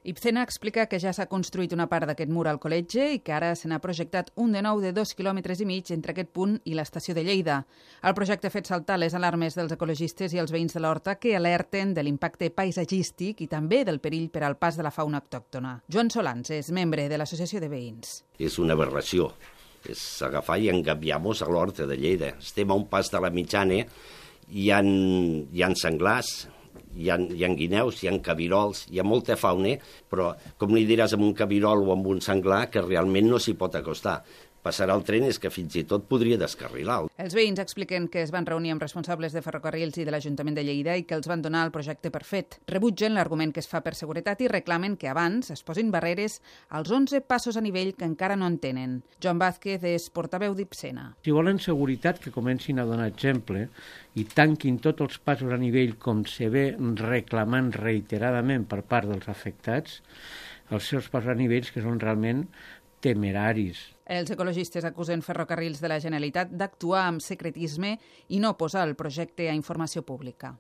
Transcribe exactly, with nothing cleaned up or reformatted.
Ibcena explica que ja s'ha construït una part d'aquest mur al col·legi i que ara se n'ha projectat un de nou de dos quilòmetres i mig entre aquest punt i l'estació de Lleida. El projecte ha fet saltar les alarmes dels ecologistes i els veïns de l'Horta que alerten de l'impacte paisatgístic i també del perill per al pas de la fauna autòctona. Joan Solans és membre de l'Associació de Veïns. És una aberració. És agafar i engabiar-nos a l'Horta de Lleida. Estem a un pas de la mitjana, hi ha, hi ha senglars, Hi ha, hi ha guineus, hi ha cabirols, hi ha molta fauna, però com li diràs amb un cabirol o amb un senglar que realment no s'hi pot acostar. Passarà el tren és que fins i tot podria descarrilar. Els veïns expliquen que es van reunir amb responsables de ferrocarrils i de l'Ajuntament de Lleida i que els van donar el projecte per fet. Rebutgen l'argument que es fa per seguretat i reclamen que abans es posin barreres als onze passos a nivell que encara no en tenen. Joan Vázquez és portaveu d'Ibcena. Si volen seguretat, que comencin a donar exemple i tanquin tots els passos a nivell com se ve reclamant reiteradament per part dels afectats, els seus passos a nivells que són realment temeraris. Els ecologistes acusen Ferrocarrils de la Generalitat d'actuar amb secretisme i no posar el projecte a informació pública.